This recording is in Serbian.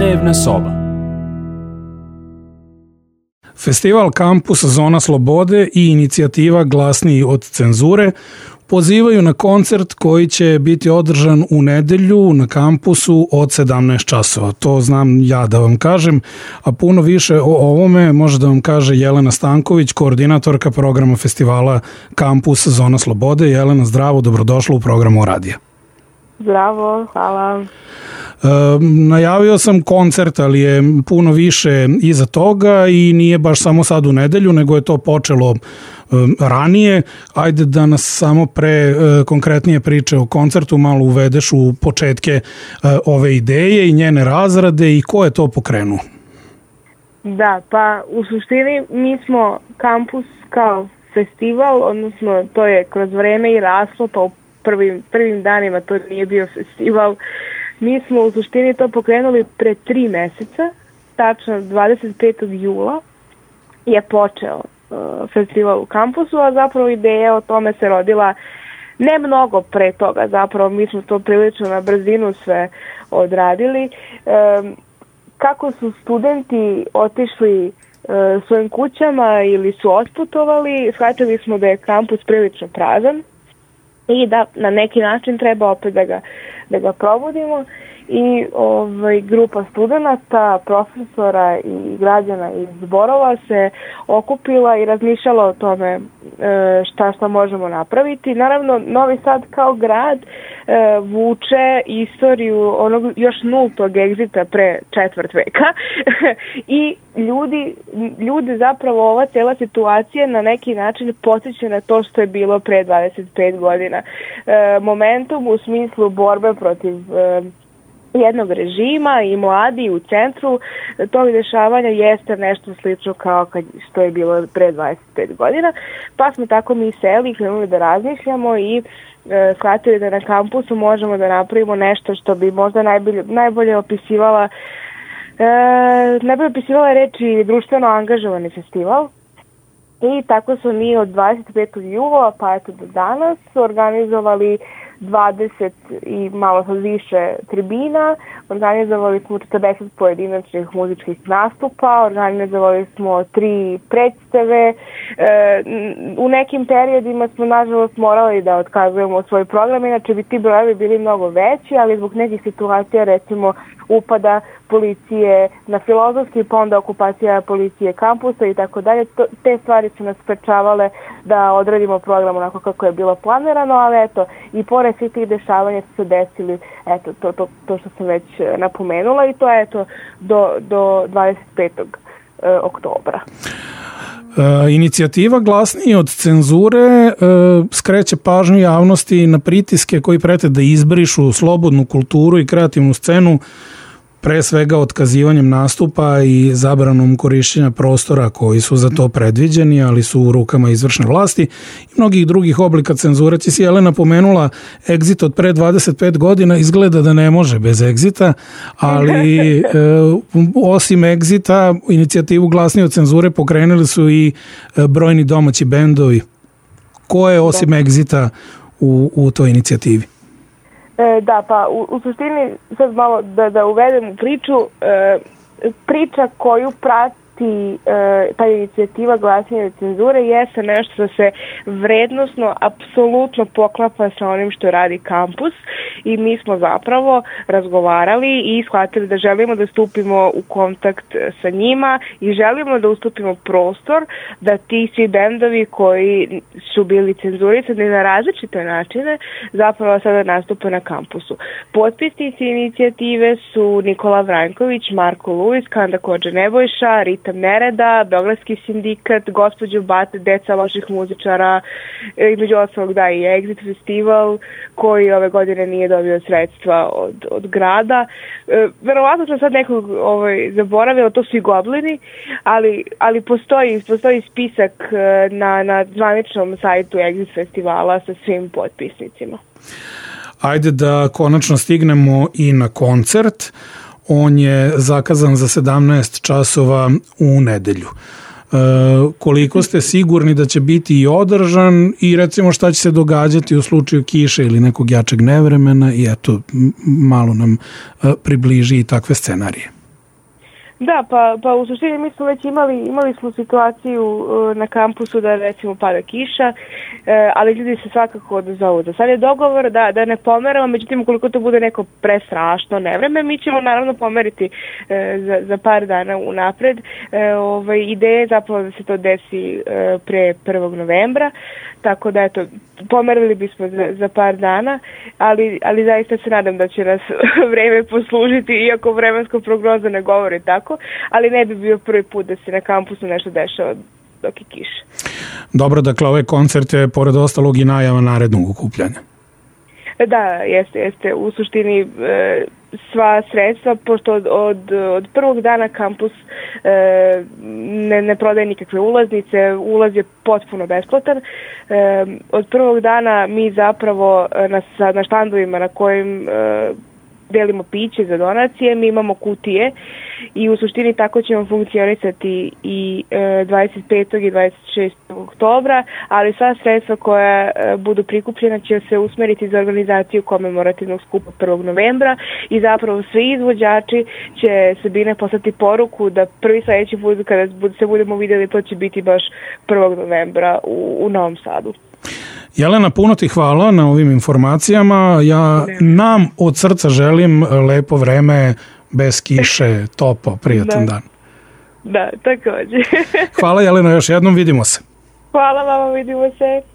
Dnevna soba. Festival Kampus Zona slobode i inicijativa Glasniji od cenzure pozivaju na koncert koji će biti održan u nedelju na kampusu od 17 časova. To znam ja da vam kažem, a puno više o ovome može da vam kaže Jelena Stanković, koordinatorka programa festivala Kampus Zona slobode. Jelena, zdravo, dobrodošla u programu Radija. Zdravo, hvala. Najavio sam koncert, ali je puno više iza toga i nije baš samo sad u nedelju, nego je to počelo ranije. Ajde da nas samo pre konkretnije priče o koncertu malo uvedeš u početke ove ideje i njene razrade i ko je to pokrenuo? Da, pa u suštini mi smo kampus kao festival, odnosno to je kroz vreme i raslo, pa u prvim danima to nije bio festival. Mi smo u suštini to pokrenuli pre 3 meseca, tačno 25. jula je počeo festival u kampusu, a zapravo ideja o tome se rodila ne mnogo pre toga, zapravo mi smo to prilično na brzinu sve odradili. Kako su studenti otišli svojim kućama ili su otputovali, shvatili smo da je kampus prilično prazan i da na neki način treba opet da ga probudimo i grupa studenta, profesora i građana iz zborova se okupila i razmišljala o tome šta možemo napraviti. Naravno, Novi Sad kao grad vuče istoriju onog još nultog egzita pre 4 veka i ljudi zapravo ova cijela situacija na neki način podsjeća na to što je bilo pre 25 godina. Momentum u smislu borbe protiv jednog režima i mladi u centru tog dešavanja jeste nešto slično kao što je bilo pre 25 godina. Pa smo tako mi seli i krenuli da razmišljamo i shvatili da na kampusu možemo da napravimo nešto što bi možda najbolje opisivala reči društveno angažovani festival. I tako smo mi od 25. jula pa eto do danas organizovali 20 i malo sad više tribina, organizovali smo 40 pojedinačnih muzičkih nastupa, organizovali smo 3 predstave. U nekim periodima smo nažalost morali da otkazujemo svoj program, inače bi ti brojevi bili mnogo veći, ali zbog nekih situacija, recimo upada policije na Filozofski, pa onda okupacija policije kampusa i tako dalje, te stvari su nas sprečavale da odradimo program onako kako je bilo planirano, ali eto, i pored svih tih dešavanja su se desili, eto, to što sam već napomenula i to je eto do 25. oktobra. Inicijativa Glasniji od cenzure skreće pažnju javnosti na pritiske koji prete da izbrišu slobodnu kulturu i kreativnu scenu, pre svega otkazivanjem nastupa i zabranom korišćenja prostora koji su za to predviđeni, ali su u rukama izvršne vlasti i mnogih drugih oblika cenzure. Ti si, Jelena, pomenula egzit od pre 25 godina, izgleda da ne može bez egzita, ali osim egzita, inicijativu Glasniji od cenzure pokrenuli su i brojni domaći bendovi. Ko je osim egzita u toj inicijativi? Da, pa u suštini sad malo da uvedem u priča koju prati ta inicijativa Glasnije od cenzure jeste nešto što se vrednosno apsolutno poklapa sa onim što radi kampus i mi smo zapravo razgovarali i shvatili da želimo da stupimo u kontakt sa njima i želimo da ustupimo prostor da ti svi bendovi koji su bili cenzurisani na različite načine zapravo sada nastupe na kampusu. Potpisnici inicijative su Nikola Vranjković, Marko Luis, Kanda Kođa Nebojša, Rita Nereda, Beogradski sindikat, Gospođo Bate, Deca loših muzičara, između ostalog da i Exit festival koji ove godine nije dobio sredstva od grada. Verovatno sam sad nekog zaboravila, to su i Goblini, ali postoji spisak na zvaničnom sajtu Exit festivala sa svim potpisnicima. Ajde da konačno stignemo i na koncert. On je zakazan za 17 časova u nedelju. Koliko ste sigurni da će biti i održan i recimo šta će se događati u slučaju kiše ili nekog jačeg nevremena i eto malo nam približi i takve scenarije. Da, pa u suštini mi smo već imali smo situaciju na kampusu da recimo pada kiša, ali ljudi se svakako odazovu. Za sad je dogovor da ne pomeramo, međutim ukoliko to bude neko prestrašno nevreme, mi ćemo naravno pomeriti za par dana unapred. Ideja je zapravo da se to desi pre 1. novembra, tako da eto, pomerili bismo za par dana, ali zaista se nadam da će nas vreme poslužiti, iako vremenska prognoza ne govori tako, ali ne bi bio prvi put da se na kampusu nešto dešava dok je kiša. Dobro, dakle, ovaj koncert je pored ostalog i najava narednog okupljanja. Da, jeste. U suštini sva sredstva, pošto od prvog dana kampus ne prodaje nikakve ulaznice, ulaz je potpuno besplatan. Od prvog dana mi zapravo na štandovima na kojim delimo piće za donacije, mi imamo kutije i u suštini tako ćemo funkcionisati i 25. i 26. oktobra, ali sva sredstva koja budu prikupljena će se usmeriti za organizaciju komemorativnog skupa 1. novembra i zapravo svi izvođači će Sabine poslati poruku da prvi sledeći put kada se budemo vidjeli to će biti baš 1. novembra u Novom Sadu. Jelena, puno ti hvala na ovim informacijama. Ja nam od srca želim lepo vreme, bez kiše, topo, prijatan dan. Da, također. Hvala Jelena, još jednom, vidimo se. Hvala vama, vidimo se.